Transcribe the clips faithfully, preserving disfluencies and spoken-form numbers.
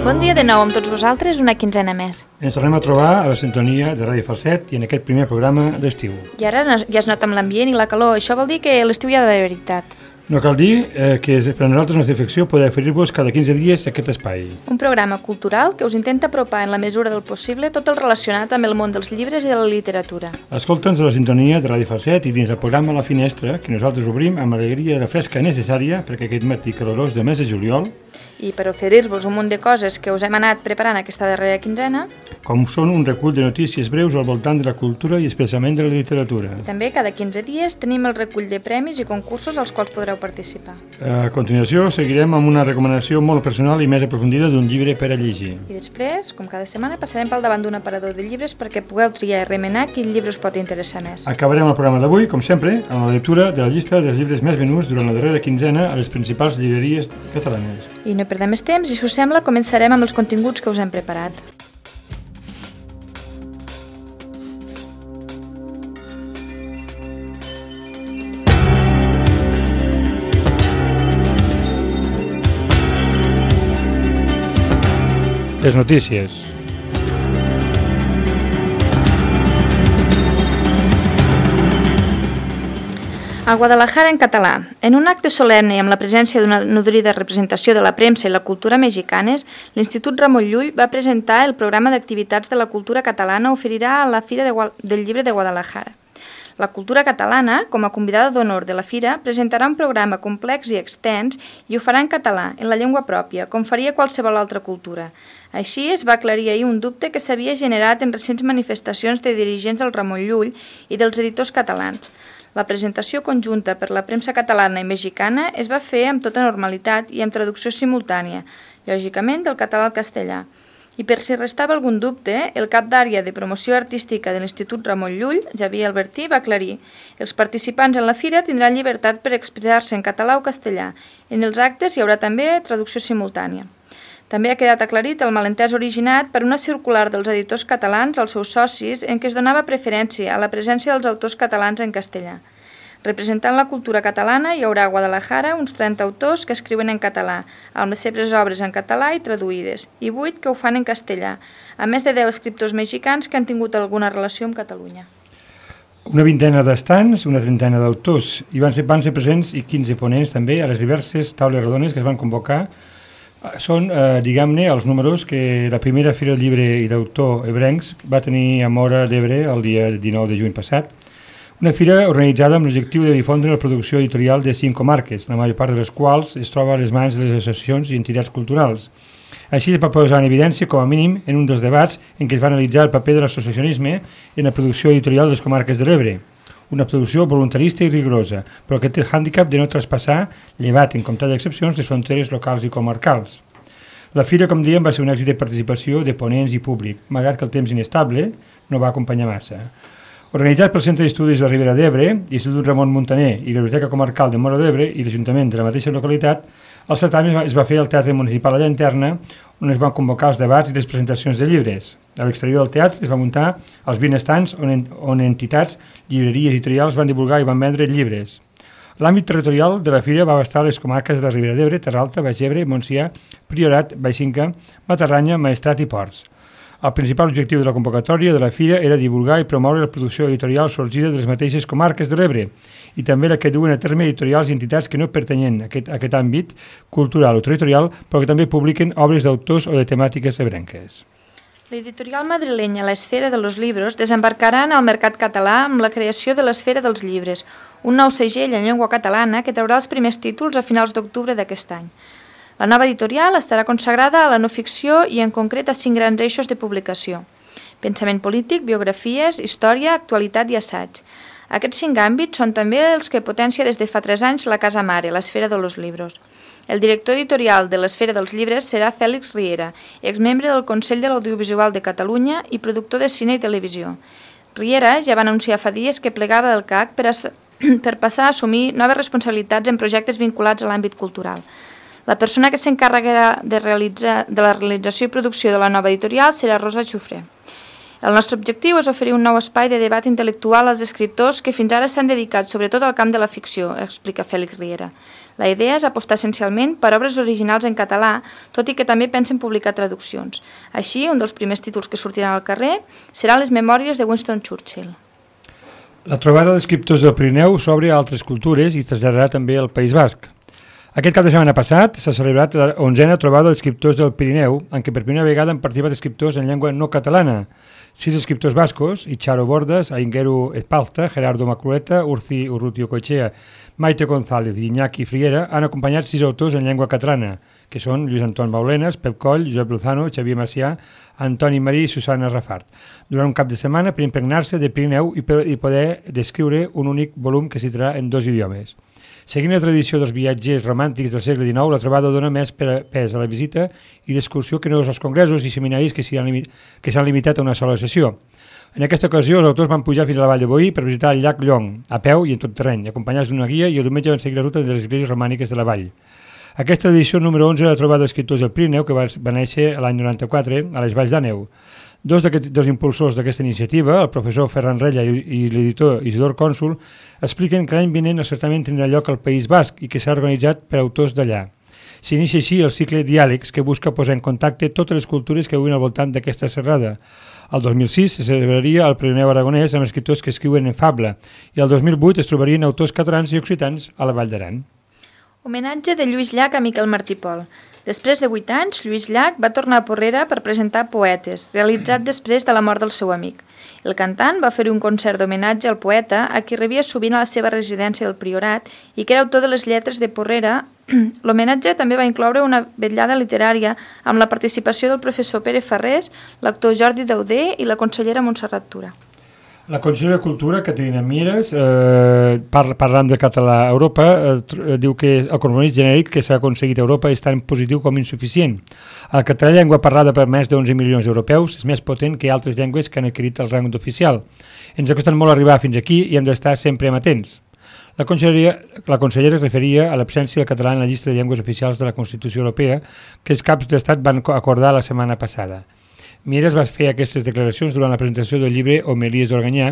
Bon dia de nou amb tots vosaltres, una quinzena més. Ens tornem a trobar a la sintonia de Ràdio Falset i en aquest primer programa d'estiu. I ara ja es nota amb l'ambient i la calor, això vol dir que l'estiu ja de veritat. No cal dir eh, que per a nosaltres una satisfacció poder oferir-vos cada quinze dies aquest espai. Un programa cultural que us intenta apropar en la mesura del possible tot el relacionat amb el món dels llibres i de la literatura. Escolta'ns a la sintonia de Ràdio Falset i dins el programa La Finestra, que nosaltres obrim amb alegria i la fresca necessària perquè aquest matí calorós de mes de juliol. I per oferir-vos un munt de coses que us hem anat preparant aquesta darrera quinzena, com són un recull de notícies breus al voltant de la cultura i especialment de la literatura. I també cada quinze dies tenim el recull de premis i concursos als quals podreu participar. A continuació seguirem amb una recomanació molt personal i més aprofundida d'un llibre per a llegir. I després, com cada setmana, passarem pel davant d'un aparador de llibres perquè pugueu triar i remenar quin llibre us pot interessar més. Acabarem el programa d'avui, com sempre, amb la lectura de la llista dels llibres més venuts durant la darrera quinzena a les principals llibreries catalanes. I no perdem més temps i, si us sembla, començarem amb els continguts que us hem preparat. Les notícies. A Guadalajara en català. En un acte solemne i amb la presència d'una nodrida representació de la premsa i la cultura mexicanes, l'Institut Ramon Llull va presentar el programa d'activitats de la cultura catalana oferirà a la Fira de Gua- del Llibre de Guadalajara. La cultura catalana, com a convidada d'honor de la Fira, presentarà un programa complex i extens i ho farà en català, en la llengua pròpia, com faria qualsevol altra cultura. Així es va aclarir ahir un dubte que s'havia generat en recents manifestacions de dirigents del Ramon Llull i dels editors catalans. La presentació conjunta per la premsa catalana i mexicana es va fer amb tota normalitat i amb traducció simultània, lògicament del català al castellà. I per si restava algun dubte, el cap d'àrea de promoció artística de l'Institut Ramon Llull, Xavier Albertí, va aclarir: els participants en la fira tindran llibertat per expressar-se en català o castellà. En els actes hi haurà també traducció simultània. També ha quedat aclarit el malentès originat per una circular dels editors catalans als seus socis en què es donava preferència a la presència dels autors catalans en castellà. Representant la cultura catalana hi haurà a Guadalajara uns trenta autors que escriuen en català, amb les seves obres en català i traduïdes, i vuit que ho fan en castellà, a més de deu escriptors mexicans que han tingut alguna relació amb Catalunya. Una vintena d'estants, una trentena d'autors, i van ser, van ser presents i quinze ponents també a les diverses taules rodones que es van convocar. Són, eh, diguem-ne, els números que la primera Fira del Llibre i d'Autor ebrencs va tenir a Móra d'Ebre el dia dinou de juny passat. Una fira organitzada amb l'objectiu de difondre la producció editorial de cinc comarques, la major part de les quals es troba a les mans de les associacions i entitats culturals. Així es va posar en evidència, com a mínim, en un dels debats en què es va analitzar el paper de l'associacionisme en la producció editorial de les comarques de l'Ebre. Una producció voluntarista i rigorosa, però que té el hàndicap de no traspassar, llevat en comptat d'excepcions, les fronteres locals i comarcals. La fira, com dèiem, va ser un èxit de participació de ponents i públic, malgrat que el temps inestable no va acompanyar massa. Organitzat pel Centre d'Estudis de la Ribera d'Ebre, l'Institut Ramon Muntaner i la Biblioteca Comarcal de Móra d'Ebre i l'Ajuntament de la mateixa localitat, el certamen es va fer al Teatre Municipal a Llanterna, on es van convocar els debats i les presentacions de llibres. A l'exterior del teatre es va muntar els vint estants on, en, on entitats, llibreries i editorials van divulgar i van vendre llibres. L'àmbit territorial de la fira va abastar les comarques de la Ribera d'Ebre, Terralta, Baix Ebre, Montsià, Priorat, Baixinca, Matarranya, Maestrat i Ports. El principal objectiu de la convocatòria de la fira era divulgar i promoure la producció editorial sorgida de les mateixes comarques de l'Ebre i també la que duen a terme editorials i entitats que no pertanyen a aquest, a aquest àmbit cultural o territorial, però que també publiquen obres d'autors o de temàtiques ebrenques. L'editorial madrilenya La Esfera de los Libros desembarcarà en el mercat català amb la creació de l'Esfera dels Llibres, un nou segell en llengua catalana que traurà els primers títols a finals d'octubre d'aquest any. La nova editorial estarà consagrada a la no ficció i en concret a cinc grans eixos de publicació: pensament polític, biografies, història, actualitat i assaig. Aquests cinc àmbits són també els que potencia des de fa tres anys la Casa Mare, l'Esfera de los Libros. El director editorial de l'Esfera dels Llibres serà Fèlix Riera, exmembre del Consell de l'Audiovisual de Catalunya i productor de cine i televisió. Riera ja va anunciar fa dies que plegava del C A C per, a, per passar a assumir noves responsabilitats en projectes vinculats a l'àmbit cultural. La persona que s'encarregarà de, realitzar, de la realització i producció de la nova editorial serà Rosa Xufré. El nostre objectiu és oferir un nou espai de debat intel·lectual als escriptors que fins ara s'han dedicat sobretot al camp de la ficció, explica Fèlix Riera. La idea és apostar essencialment per obres originals en català, tot i que també pensen publicar traduccions. Així, un dels primers títols que sortiran al carrer seran les memòries de Winston Churchill. La trobada d'escriptors del Pirineu s'obre a altres cultures i es traslladarà també al País Basc. Aquest cap de setmana passat s'ha celebrat la onzena trobada d'escriptors del Pirineu, en què per primera vegada han participat escriptors en llengua no catalana. Sis escriptors bascos, Icharo Bordas, Aingeru Espalta, Gerardo Macrueta, Urci Urrutio Cochea, Maite González i Iñaki Friera, han acompanyat sis autors en llengua catalana, que són Lluís Anton Baulenes, Pep Coll, Josep Lozano, Xavier Macià, Antoni Marí i Susana Rafart, durant un cap de setmana per impregnar-se de Pirineu i, per, i poder descriure un únic volum que citarà en dos idiomes. Seguint la tradició dels viatgers romàntics del segle dinou, la trobada dona més pes a la visita i l'excursió que no als congressos i seminaris que s'han limi limitat a una sola sessió. En aquesta ocasió, els autors van pujar fins a la Vall de Boí per visitar el llac Llong, a peu i en tot terreny, acompanyats d'una guia, i el diumenge van seguir la ruta de les esglésies romàniques de la vall. Aquesta edició número onze de la trobada d'escriptors del Pirineu, que va, va néixer l'any noranta-quatre a les Valls d'Àneu. Dos dels impulsors d'aquesta iniciativa, el professor Ferran Rella i, i l'editor Isidor Cònsul, expliquen que l'any vinent el certament tindrà lloc al País Basc i que s'ha organitzat per autors d'allà. S'inicia així el cicle Diàlegs, que busca posar en contacte totes les cultures que viuen al voltant d'aquesta serrada. El dos mil sis se celebraria el Pirineu Aragonès amb escriptors que escriuen en fable i el dos mil vuit es trobarien autors catalans i occitans a la Vall d'Aran. Homenatge de Lluís Llach a Miquel Martí Pol. Després de vuit anys, Lluís Llach va tornar a Porrera per presentar Poetes, realitzat després de la mort del seu amic. El cantant va fer un concert d'homenatge al poeta a qui rebia sovint a la seva residència del Priorat i que era autor de les lletres de Porrera. L'homenatge també va incloure una vetllada literària amb la participació del professor Pere Farrés, l'actor Jordi Dauder i la consellera Montserrat Tura. La consellera de Cultura, Caterina Mieres, eh, par parlant de català a Europa, eh, diu que el compromís genèric que s'ha aconseguit a Europa és tan positiu com insuficient. El català, llengua parlada per més d'onze milions d'europeus, és més potent que altres llengües que han adquirit el rang d'oficial. Ens ha costat molt arribar fins aquí i hem d'estar sempre amatents. La consellera, la consellera es referia a l'absència del català en la llista de llengües oficials de la Constitució Europea que els caps d'estat van acordar la setmana passada. Mieres va fer aquestes declaracions durant la presentació del llibre Homilies d'Organyà,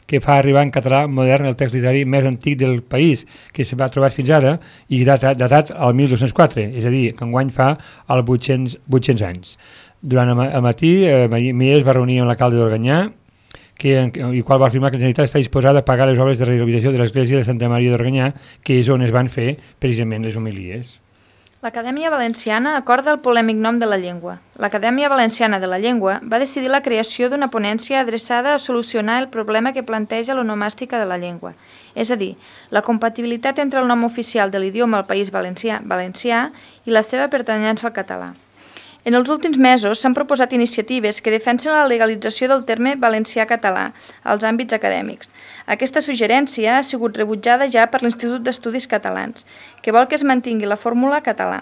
que fa arribar en català modern el text literari més antic del país, que s'ha trobat fins ara i datat, datat al mil dos-cents quatre, és a dir, que enguany fa els vuit-cents anys. Durant el matí, eh, Mieres va reunir amb l'alcalde d'Organyà, que, i qual va afirmar que la Generalitat està disposada a pagar les obres de rehabilitació de l'església de Santa Maria d'Organyà, que és on es van fer precisament les homilies. L'Acadèmia Valenciana acorda el polèmic nom de la llengua. L'Acadèmia Valenciana de la Llengua va decidir la creació d'una ponència adreçada a solucionar el problema que planteja l'onomàstica de la llengua, és a dir, la compatibilitat entre el nom oficial de l'idioma al País Valencià, valencià i la seva pertanyença al català. En els últims mesos s'han proposat iniciatives que defensen la legalització del terme valencià-català als àmbits acadèmics. Aquesta suggerència ha sigut rebutjada ja per l'Institut d'Estudis Catalans, que vol que es mantingui la fórmula català.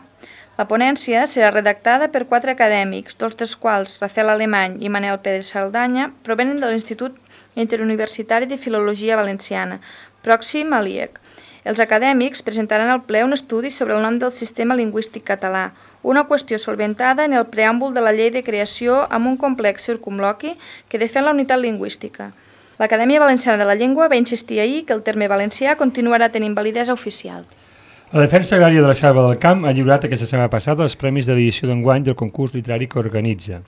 La ponència serà redactada per quatre acadèmics, dos dels quals, Rafael Alemany i Manel Pérez Saldanya, provenen de l'Institut Interuniversitari de Filologia Valenciana, pròxim a l'I E C. Els acadèmics presentaran al ple un estudi sobre el nom del sistema lingüístic català, una qüestió solventada en el preàmbul de la llei de creació amb un complex circumloqui que defèn la unitat lingüística. L'Acadèmia Valenciana de la Llengua va insistir ahir que el terme valencià continuarà tenint validesa oficial. La Defensa Agrària de la Selva del Camp ha lliurat aquesta setmana passada els premis de l'edició d'enguany del concurs literari que organitza.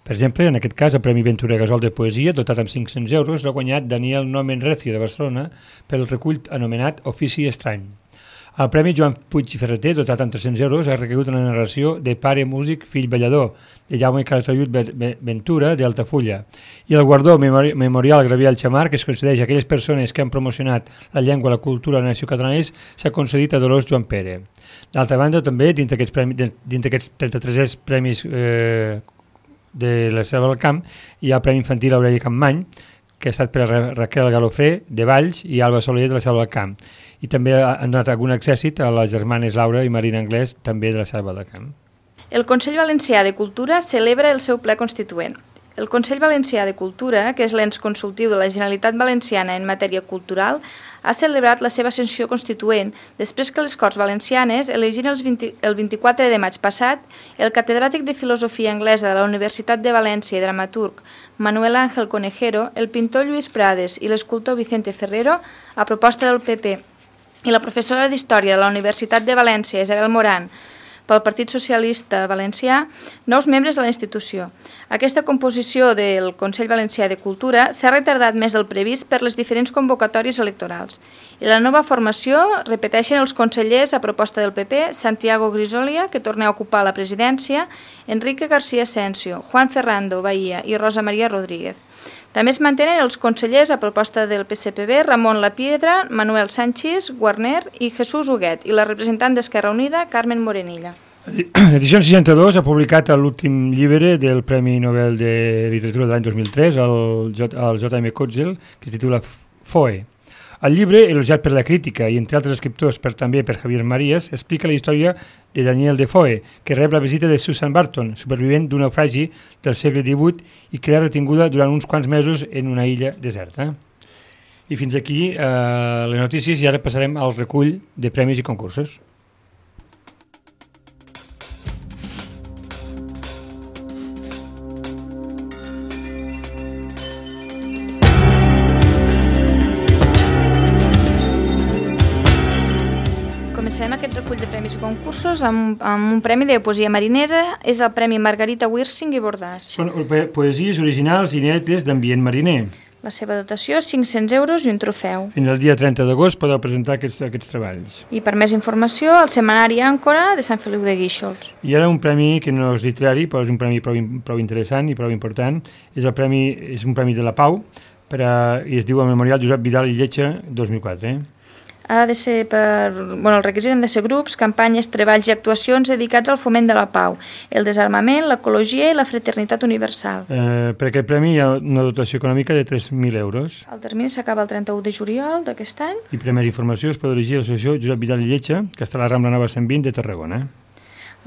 Per exemple, en aquest cas, el Premi Ventura Gasol de Poesia, dotat amb cinc-cents euros, l'ha guanyat Daniel Nomen Recio de Barcelona pel recull anomenat Ofici Estrany. El Premi Joan Puig i Ferreter, dotat amb tres-cents euros, ha recaigut una narració de Pare músic, fill ballador, de Jaume Calatayud Ventura, d'Altafulla. I el guardó Memorial Gabriel Xamar, que es concedeix a aquelles persones que han promocionat la llengua, la cultura i la nació catalanes, s'ha concedit a Dolors Joan Pere. D'altra banda, també, dintre d'aquests trenta-tres premis eh, de la Selva del Camp, hi ha el Premi Infantil Aureli Campmany, que ha estat per a Raquel Galofré, de Valls, i Alba Soler, de la Selva del Camp. I també han donat algun accèssit a les germanes Laura i Marina Anglès, també de la Selva del Camp. El Consell Valencià de Cultura celebra el seu ple constituent. El Consell Valencià de Cultura, que és l'ens consultiu de la Generalitat Valenciana en matèria cultural, ha celebrat la seva sessió constituent després que les Corts Valencianes elegin el vint-i-quatre de maig passat el catedràtic de Filosofia Anglesa de la Universitat de València i dramaturg Manuel Ángel Conejero, el pintor Lluís Prades i l'escultor Vicente Ferrero, a proposta del P P, i la professora d'Història de la Universitat de València, Isabel Moran, pel Partit Socialista Valencià, nous membres de la institució. Aquesta composició del Consell Valencià de Cultura s'ha retardat més del previst per les diferents convocatòries electorals. I la nova formació repeteixen els consellers a proposta del P P, Santiago Grisolia, que torna a ocupar la presidència, Enrique García Asensio, Juan Ferrando Bahía i Rosa María Rodríguez. També es mantenen els consellers a proposta del P S P B, Ramon Lapiedra, Manuel Sánchez, Guarner i Jesús Huguet, i la representant d'Esquerra Unida, Carmen Morenilla. L'edició seixanta-dos ha publicat l'últim llibre del Premi Nobel de Literatura de l'any dos mil tres, el J M Coetzee, que es titula Foe. El llibre, elogiat per la crítica i entre altres escriptors, per també per Javier Marías, explica la història de Daniel Defoe, que rep la visita de Susan Barton, supervivent d'un naufragi del segle divuit i que era retinguda durant uns quants mesos en una illa deserta. I fins aquí eh, les notícies, i ara passarem al recull de premis i concursos. Començarem aquest recull de premis i concursos amb, amb un premi de poesia marinera, és el Premi Margarita Wirsing i Bordàs. Són poesies originals i inèdites d'ambient mariner. La seva dotació és cinc-cents euros i un trofeu. Fins al dia trenta d'agost podeu presentar aquests, aquests treballs. I per més informació, el Setmanari Àncora de Sant Feliu de Guíxols. I ara un premi que no és literari, però és un premi prou, prou interessant i prou important. És, el premi, és un premi de la Pau per a, i es diu el Memorial Josep Vidal i Lletja dos mil quatre. Eh? Ha de ser per... Bueno, el requisit han de ser grups, campanyes, treballs i actuacions dedicats al foment de la pau, el desarmament, l'ecologia i la fraternitat universal. Eh, per aquest premi hi ha una dotació econòmica de tres mil euros. El termini s'acaba el trenta-u de juliol d'aquest any. I per més informació es pot dirigir a l'associació Josep Vidal i Lletja, que està a la Rambla Nova cent vint de Tarragona.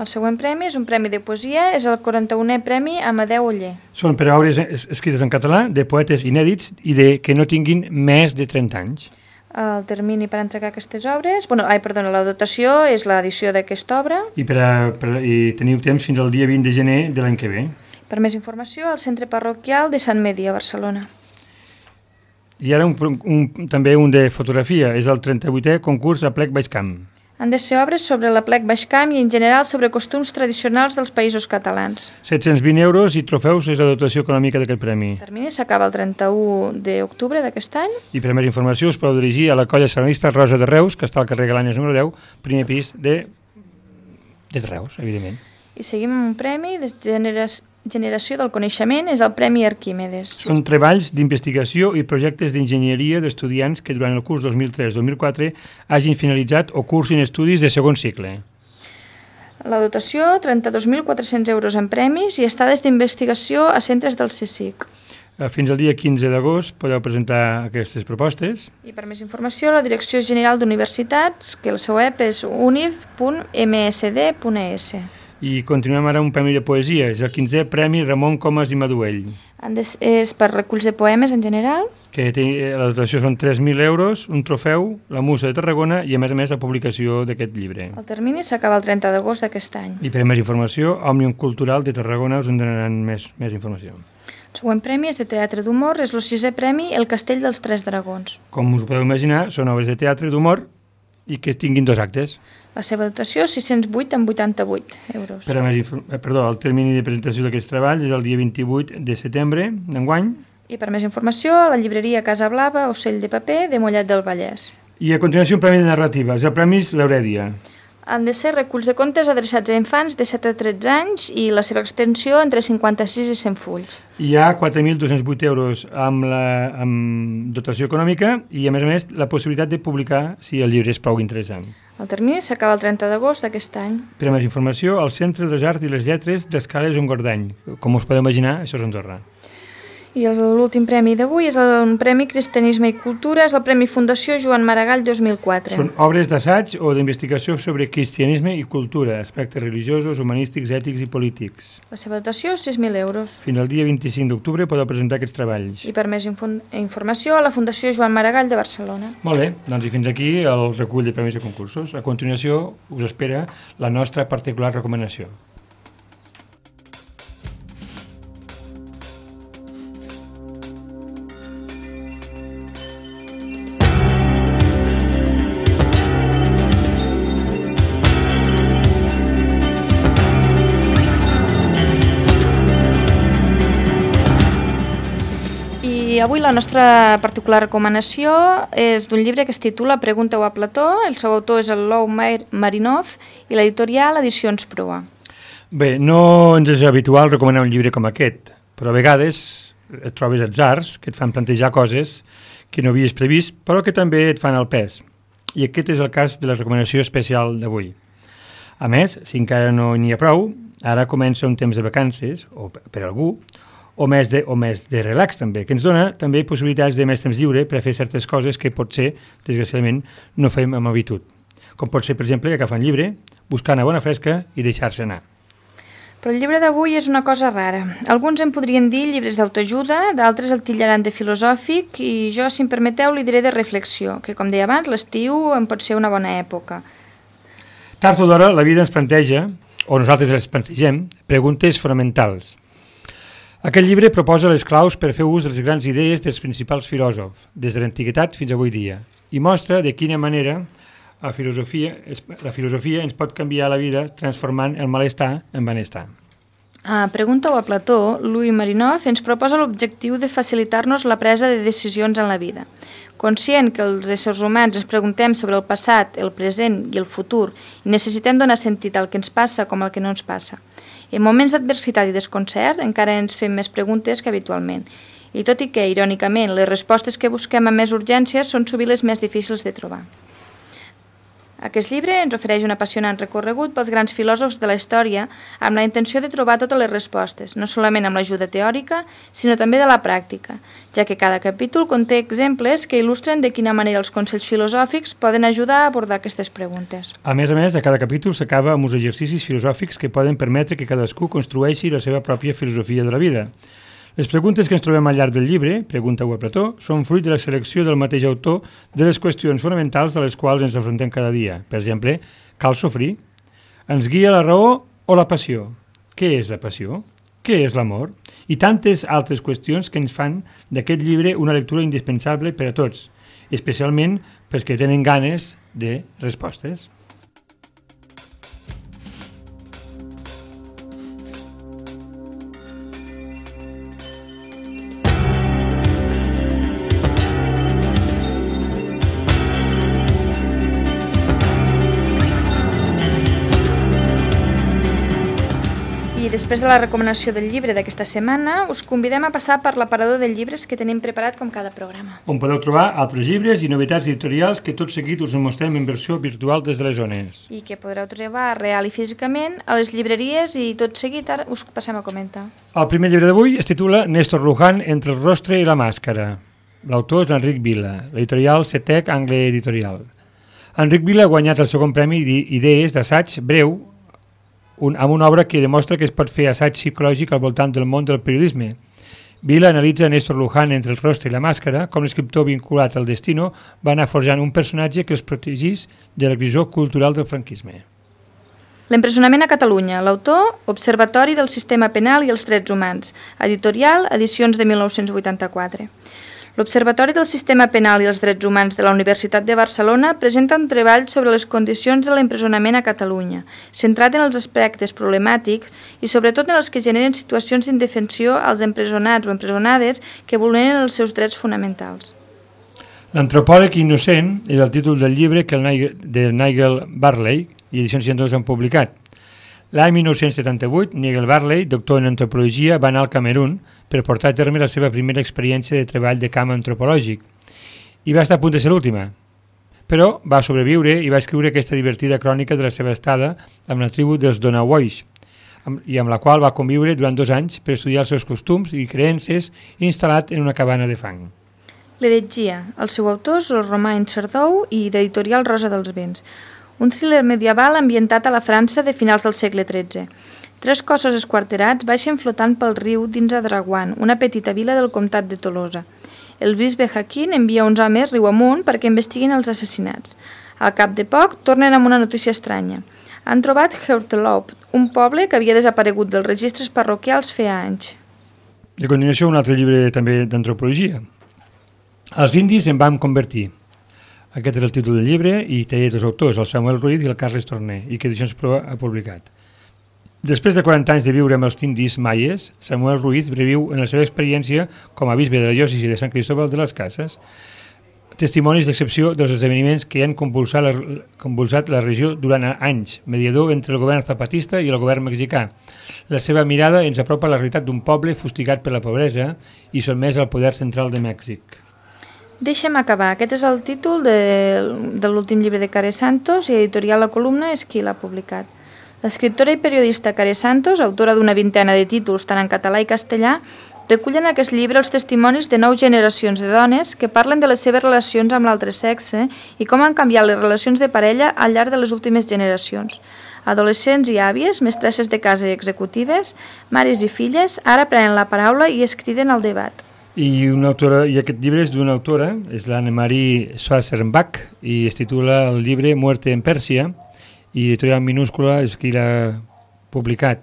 El següent premi és un premi de poesia, és el quaranta-unè Premi Amadeu Oller. Són per a obres escrites en català, de poetes inèdits i de que no tinguin més de trenta anys. El termini per entregar aquestes obres... Bueno, ai, perdona, la dotació és l'edició d'aquesta obra. I, per a, per, I teniu temps fins al dia vint de gener de l'any que ve. Per més informació, al Centre Parroquial de Sant Medi, a Barcelona. I ara un, un, també un de fotografia, és el trenta-vuitè concurs a Plec Baix Camp. Han de ser obres sobre la Plec Baix Camp i en general sobre costums tradicionals dels països catalans. set-cents vint euros i trofeus és la dotació econòmica d'aquest premi. El termini s'acaba el trenta-u d'octubre d'aquest any. I per més informació us podeu dirigir a la colla sardanista Rosa de Reus, que està al carrer Galànies número deu, primer pis de, de Reus, evidentment. I seguim amb un premi de generació Generació del Coneixement, és el Premi Arquímedes. Són treballs d'investigació i projectes d'enginyeria d'estudiants que durant el curs dos mil tres dos mil quatre hagin finalitzat o cursin estudis de segon cicle. La dotació, trenta-dos mil quatre-cents euros en premis i estades d'investigació a centres del CSIC. Fins al dia quinze d'agost podeu presentar aquestes propostes. I per més informació, la Direcció General d'Universitats, que el seu web és univ punt m s d punt e s. I continuem ara un premi de poesia, és el quinzè Premi Ramon Comas i Maduell. És per reculls de poemes en general. Que té, la dotació són tres mil euros, un trofeu, la Musa de Tarragona i a més a més la publicació d'aquest llibre. El termini s'acaba el trenta d'agost d'aquest any. I per més informació, Òmnium Cultural de Tarragona us en donaran més, més informació. El següent premi és de teatre d'humor, és el sisè premi El Castell dels Tres Dragons. Com us podeu imaginar, són obres de teatre d'humor i que tinguin dos actes. La seva dotació, sis-cents vuit amb vuitanta-vuit euros. Per a més, perdó, el termini de presentació d'aquests treballs és el dia vint-i-vuit de setembre d'enguany. I per més informació, a la llibreria Casa Blava, Ocell de Paper, de Mollet del Vallès. I a continuació un premi de narrativa, és el Premi L'Aurèdia. Han de ser reculls de contes adreçats a infants de set a tretze anys i la seva extensió entre cinquanta-sis i cent fulls. Hi ha quatre mil dos-cents vuit euros amb, la, amb dotació econòmica i, a més a més, la possibilitat de publicar si el llibre és prou interessant. El termini s'acaba el trenta d'agost d'aquest any. Per a més informació, al Centre de les Arts i les Lletres d'Escales Engordany. Com us podeu imaginar, això és Andorra. I l'últim premi d'avui és el Premi Cristianisme i Cultura, és el Premi Fundació Joan Maragall dos mil quatre. Són obres d'assaig o d'investigació sobre cristianisme i cultura, aspectes religiosos, humanístics, ètics i polítics. La seva dotació és sis mil euros. Fins al dia vint-i-cinc d'octubre podeu presentar aquests treballs. I per més informació a la Fundació Joan Maragall de Barcelona. Molt bé, doncs i fins aquí el recull de premis i concursos. A continuació us espera la nostra particular recomanació. I avui la nostra particular recomanació és d'un llibre que es titula Pregunta-ho a Plató. El seu autor és el Lou Marinov i l'editorial Edicions Proa. Bé, no ens és habitual recomanar un llibre com aquest, però a vegades et trobes atzars que et fan plantejar coses que no havies previst, però que també et fan el pes. I aquest és el cas de la recomanació especial d'avui. A més, si encara no n'hi ha prou, ara comença un temps de vacances, o per algú, o més, de, o més de relax també, que ens dona també possibilitats de més temps lliure per a fer certes coses que potser, desgraciadament, no fem amb habitud. Com pot ser, per exemple, agafar un llibre, buscar una bona fresca i deixar-se anar. Però el llibre d'avui és una cosa rara. Alguns en podrien dir llibres d'autoajuda, d'altres el titllaran de filosòfic i jo, si em permeteu, li diré de reflexió, que com deia abans, l'estiu en pot ser una bona època. Tard o d'hora, la vida ens planteja, o nosaltres les plantegem, preguntes fonamentals. Aquest llibre proposa les claus per fer ús de les grans idees dels principals filòsofs, des de l'antiguitat fins avui dia, i mostra de quina manera la filosofia, la filosofia ens pot canviar la vida transformant el malestar en benestar. A Pregunta-ho a Plató, Lou Marinov ens proposa l'objectiu de facilitar-nos la presa de decisions en la vida. Conscient que els éssers humans ens preguntem sobre el passat, el present i el futur i necessitem donar sentit al que ens passa com al que no ens passa. En moments d'adversitat i desconcert encara ens fem més preguntes que habitualment. I tot i que, irònicament, les respostes que busquem amb més urgències són sovint les més difícils de trobar. Aquest llibre ens ofereix un apassionant recorregut pels grans filòsofs de la història amb la intenció de trobar totes les respostes, no solament amb l'ajuda teòrica, sinó també de la pràctica, ja que cada capítol conté exemples que il·lustren de quina manera els consells filosòfics poden ajudar a abordar aquestes preguntes. A més a més, a cada capítol s'acaba amb uns exercicis filosòfics que poden permetre que cadascú construeixi la seva pròpia filosofia de la vida. Les preguntes que ens trobem al llarg del llibre, Pregunta-ho a Plató, són fruit de la selecció del mateix autor de les qüestions fonamentals a les quals ens enfrontem cada dia. Per exemple, cal sofrir? Ens guia la raó o la passió? Què és la passió? Què és l'amor? I tantes altres qüestions que ens fan d'aquest llibre una lectura indispensable per a tots, especialment pels que tenen ganes de respostes. I després de la recomanació del llibre d'aquesta setmana, us convidem a passar per l'aparador de llibres que tenim preparat com cada programa. On podeu trobar altres llibres i novetats editorials que tot seguit us mostrem en versió virtual des de les zones. I que podreu trobar real i físicament a les llibreries i tot seguit ara us passem a comentar. El primer llibre d'avui es titula Néstor Luján, entre el rostre i la màscara. L'autor és l'Enric Vila, l'editorial Setec Angle Editorial. Enric Vila ha guanyat el segon premi d'idees d'assaig breu Un, amb una obra que demostra que es pot fer assaig psicològic al voltant del món del periodisme. Vila analitza Néstor Luján entre el rostre i la màscara, com l'escriptor vinculat al destino va anar forjant un personatge que els protegís de la grisor cultural del franquisme. L'empresonament a Catalunya. L'autor, Observatori del Sistema Penal i els Drets Humans. Editorial, edicions de mil nou-cents vuitanta-quatre. L'Observatori del Sistema Penal i els Drets Humans de la Universitat de Barcelona presenta un treball sobre les condicions de l'empresonament a Catalunya, centrat en els aspectes problemàtics i sobretot en els que generen situacions d'indefensió als empresonats o empresonades que vulneren els seus drets fonamentals. L'antropòleg innocent és el títol del llibre que el Nigel, de Nigel Barley i Edicions seixanta-dos han publicat. L'any mil nou-cents setanta-vuit, Nigel Barley, doctor en antropologia, va anar al Camerún per portar a terme la seva primera experiència de treball de camp antropològic. I va estar a punt de ser l'última. Però va sobreviure i va escriure aquesta divertida crònica de la seva estada amb la tribu dels Donawois. i amb la qual va conviure durant dos anys per estudiar els seus costums i creences instal·lat en una cabana de fang. L'heretgia. El seu autor és el Romain Sardou i d'editorial Rosa dels Vents. Un thriller medieval ambientat a la França de finals del segle tretze. Tres cossos esquarterats baixen flotant pel riu dins a Draguan, una petita vila del comtat de Tolosa. El bisbe Haquin envia uns homes riu amunt perquè investiguin els assassinats. Al cap de poc, tornen amb una notícia estranya. Han trobat Heurteloop, un poble que havia desaparegut dels registres parroquials feia anys. A continuació, un altre llibre també d'antropologia. Els indis em vam convertir. Aquest és el títol del llibre i té dos autors, el Samuel Ruiz i el Carles Torné, i que Edicions Pro ha publicat. Després de quaranta anys de viure amb els indis maies, Samuel Ruiz reviu en la seva experiència com a bisbe de la diòcesi de Sant Cristóbal de les Cases testimonis d'excepció dels esdeveniments que han convulsat la, convulsat la regió durant anys, mediador entre el govern zapatista i el govern mexicà. La seva mirada ens apropa a la realitat d'un poble fustigat per la pobresa i sotmès al poder central de Mèxic. Deixa'm acabar. Aquest és el títol de, de l'últim llibre de Care Santos i editorial La Columna és qui l'ha publicat. L'escriptora i periodista Care Santos, autora d'una vintena de títols tant en català i castellà, recullen en aquest llibre els testimonis de nou generacions de dones que parlen de les seves relacions amb l'altre sexe i com han canviat les relacions de parella al llarg de les últimes generacions. Adolescents i àvies, mestresses de casa i executives, mares i filles, ara prenen la paraula i es criden al debat. I, una autora, i aquest llibre és d'una autora, és l'Anne-Marie Schwarzenbach, i es titula el llibre Muerte en Pèrsia, i editorial minúscula és qui l'ha publicat.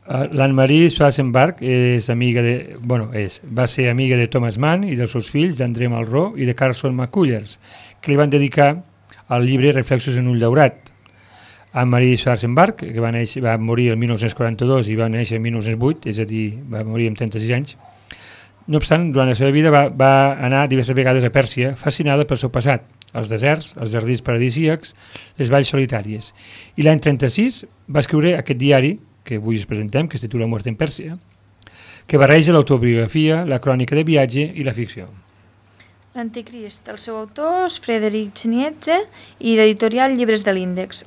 L'Anne-Marie Schwarzenbach és amiga de, bueno, és, va ser amiga de Thomas Mann i dels seus fills, d'André Malraux i de Carson McCullers, que li van dedicar al llibre Reflexos en un llaurat. Anne-Marie Schwarzenbach, que va, néixer, va morir el mil nou-cents quaranta-dos i va néixer el mil nou-cents vuit, és a dir, va morir amb trenta-sis anys. No obstant, durant la seva vida va, va anar diverses vegades a Pèrsia, fascinada pel seu passat, els deserts, els jardins paradisíacs, les valls solitàries. I l'any trenta-sis va escriure aquest diari, que avui us presentem, que es titula Muerte en Pèrsia, que barreja l'autobiografia, la crònica de viatge i la ficció. L'Anticrist. El seu autor és Friedrich Nietzsche i d'editorial Llibres de l'Índex.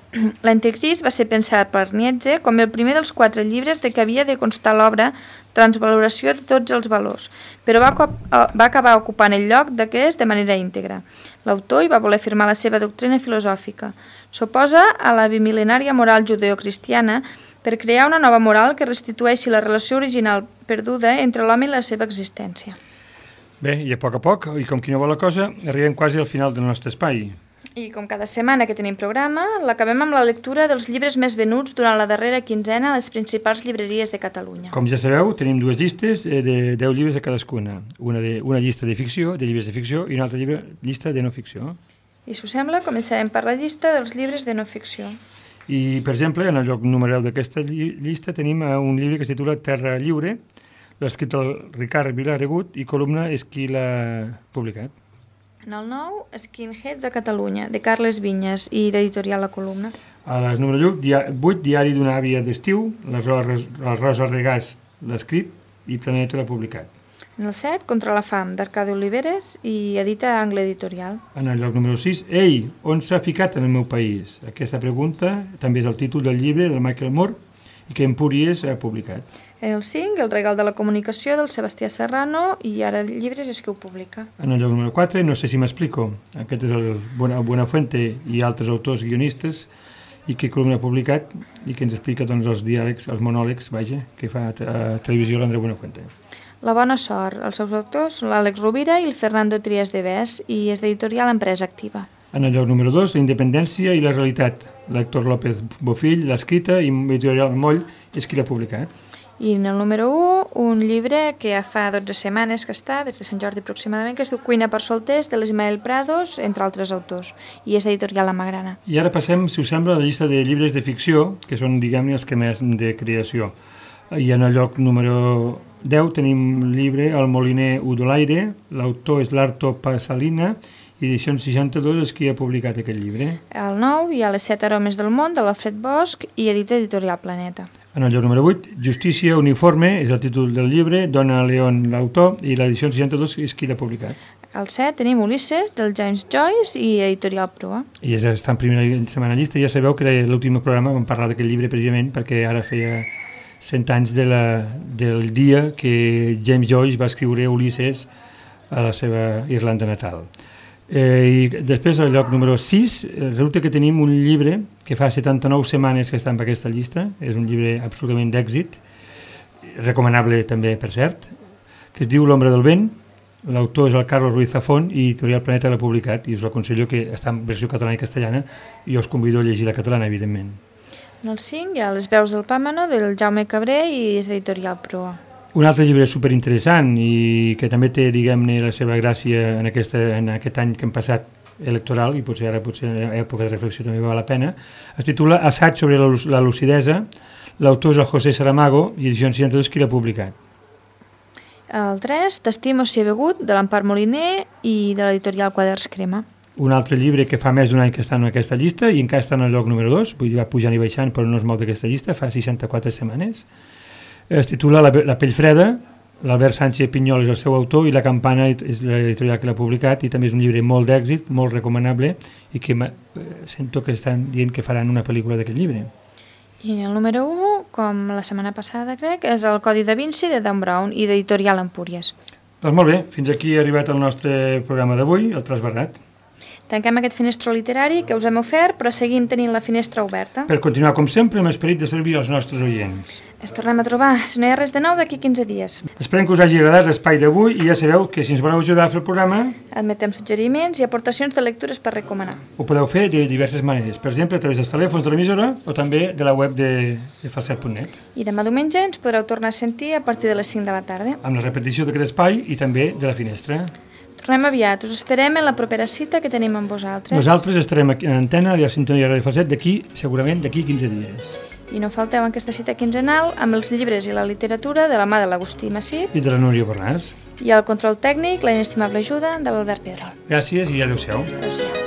L'Anticrist va ser pensat per Nietzsche com el primer dels quatre llibres de què havia de constar l'obra Transvaloració de tots els valors, però va, va acabar ocupant el lloc d'aquest de manera íntegra. L'autor hi va voler firmar la seva doctrina filosòfica. S'oposa a la bimil·lenària moral judeocristiana per crear una nova moral que restitueixi la relació original perduda entre l'home i la seva existència. Bé, i a poc a poc, i com qui no vol la cosa, arribem quasi al final del nostre espai. I com cada setmana que tenim programa, l'acabem amb la lectura dels llibres més venuts durant la darrera quinzena a les principals llibreries de Catalunya. Com ja sabeu, tenim dues llistes de deu llibres a cadascuna. Una, de, una llista de ficció, de llibres de ficció, i una altra llibre, llista de no ficció. I si us sembla, començarem per la llista dels llibres de no ficció. I, per exemple, en el lloc número d'aquesta llista tenim un llibre que es titula Terra Lliure, l'ha escrit el Ricard Vilaregut i Columna és qui l'ha publicat. En el nou, Skinheads a Catalunya, de Carles Vinyes i d'editorial La Columna. A les número vuit, Diari d'una àvia d'estiu, la Rosa Regàs l'ha escrit i Planeta l'ha publicat. En el set, Contra la fam, d'Arcadi Oliveres i edita Angle Editorial. En el lloc número sis, Ei, on s'ha ficat en el meu país? Aquesta pregunta també és el títol del llibre del Michael Moore i que Empúries ha publicat. En el cinc, El regal de la comunicació del Sebastià Serrano i Ara Llibres és qui ho publica. En el lloc número quatre, No sé si m'explico. Aquest és el Buenafuente i altres autors guionistes i que Columna ha publicat i que ens explica doncs, els diàlegs, els monòlegs, vaja, que fa a televisió l'Andreu Buenafuente. La bona sort. Els seus autors són l'Àlex Rovira i el Fernando Trias de Bes i és d'editorial Empresa Activa. En el lloc número dos, La independència i la realitat. L'Héctor López Bofill l'ha escrita i editorial Moll és qui l'ha publicat. I en el número un, un llibre que ja fa dotze setmanes que està, des de Sant Jordi aproximadament, que es diu Cuina per solters, de l'Ismael Prados, entre altres autors, i és d'editorial La Magrana. I ara passem, si us sembla, a la llista de llibres de ficció, que són, diguem-ne, els que més de creació. I en el lloc número deu tenim el llibre El moliner Udolaire, l'autor és l'Arto Pasalina, i Edicions seixanta-dos és qui ha publicat aquest llibre. El nou hi ha Les set aromes del món, de l'Alfred Bosch, i edita editorial Planeta. En el lloc número vuit, Justícia uniforme és el títol del llibre, Donna Leon l'autor, i l'edició seixanta-dos és qui l'ha publicat. Al set tenim Ulisses, del James Joyce, i Editorial Proa. I és, està en primera setmana llista. Ja sabeu que l'últim programa vam parlar d'aquest llibre precisament perquè ara feia cent anys de la, del dia que James Joyce va escriure Ulisses a la seva Irlanda natal. Eh, I després, al lloc número sis, resulta que tenim un llibre que fa setanta-nou setmanes que està en aquesta llista, és un llibre absolutament d'èxit, recomanable també, per cert, que es diu L'ombra del vent. L'autor és el Carlos Ruiz Zafón i Editorial Planeta l'ha publicat, i us aconsello que està en versió catalana i castellana, i us convido a llegir la catalana, evidentment. En el cinc hi ha Les veus del Pàmano, del Jaume Cabré, i és d'Editorial Proa. Un altre llibre superinteressant i que també té, diguem-ne, la seva gràcia en, aquesta, en aquest any que hem passat electoral, i potser ara potser en època de reflexió també val la pena, es titula Assaig sobre la, la lucidesa, l'autor és el José Saramago i edició seixanta-dos qui l'ha publicat. El tres, T'estimo si he begut, de l'Empar Moliner i de l'Editorial Quaderns Crema. Un altre llibre que fa més d'un any que està en aquesta llista i encara està en el lloc número dos, vull dir, va pujant i baixant però no es mou d'aquesta llista, fa seixanta-quatre setmanes. Es titula La, la pell freda, l'Albert Sánchez Pinyol és el seu autor i La campana és l'editorial que l'ha publicat, i també és un llibre molt d'èxit, molt recomanable, i que sento que estan dient que faran una pel·lícula d'aquest llibre. I el número u, com la setmana passada crec, és El Codi da Vinci de Dan Brown i d'Editorial Empúries. Doncs molt bé, fins aquí ha arribat el nostre programa d'avui, el Trasbarrat. Tanquem aquest finestró literari que us hem ofert, però seguim tenint la finestra oberta. Per continuar, com sempre, amb esperit de servir als nostres oients. Ens tornem a trobar, si no hi ha res de nou, d'aquí quinze dies. Esperem que us hagi agradat l'espai d'avui i ja sabeu que si ens voleu ajudar a fer el programa... Admetem suggeriments i aportacions de lectures per recomanar. Ho podeu fer de diverses maneres, per exemple, a través dels telèfons de l'emissora o també de la web de, de falset punt net. I demà diumenge ens podreu tornar a sentir a partir de les cinc de la tarda. Amb la repetició d'aquest espai i també de la finestra. Tornem aviat, us esperem en la propera cita que tenim amb vosaltres. Nosaltres estarem aquí en antena i a Sintonia Ràdio Falset d'aquí, segurament d'aquí quinze dies. I no falteu en aquesta cita quinzenal amb els llibres i la literatura de la mà de l'Agustí Massip i de la Núria Bornàs. I el control tècnic, la inestimable ajuda de l'Albert Pedrol. Gràcies i adéu-siau. Adéu-siau.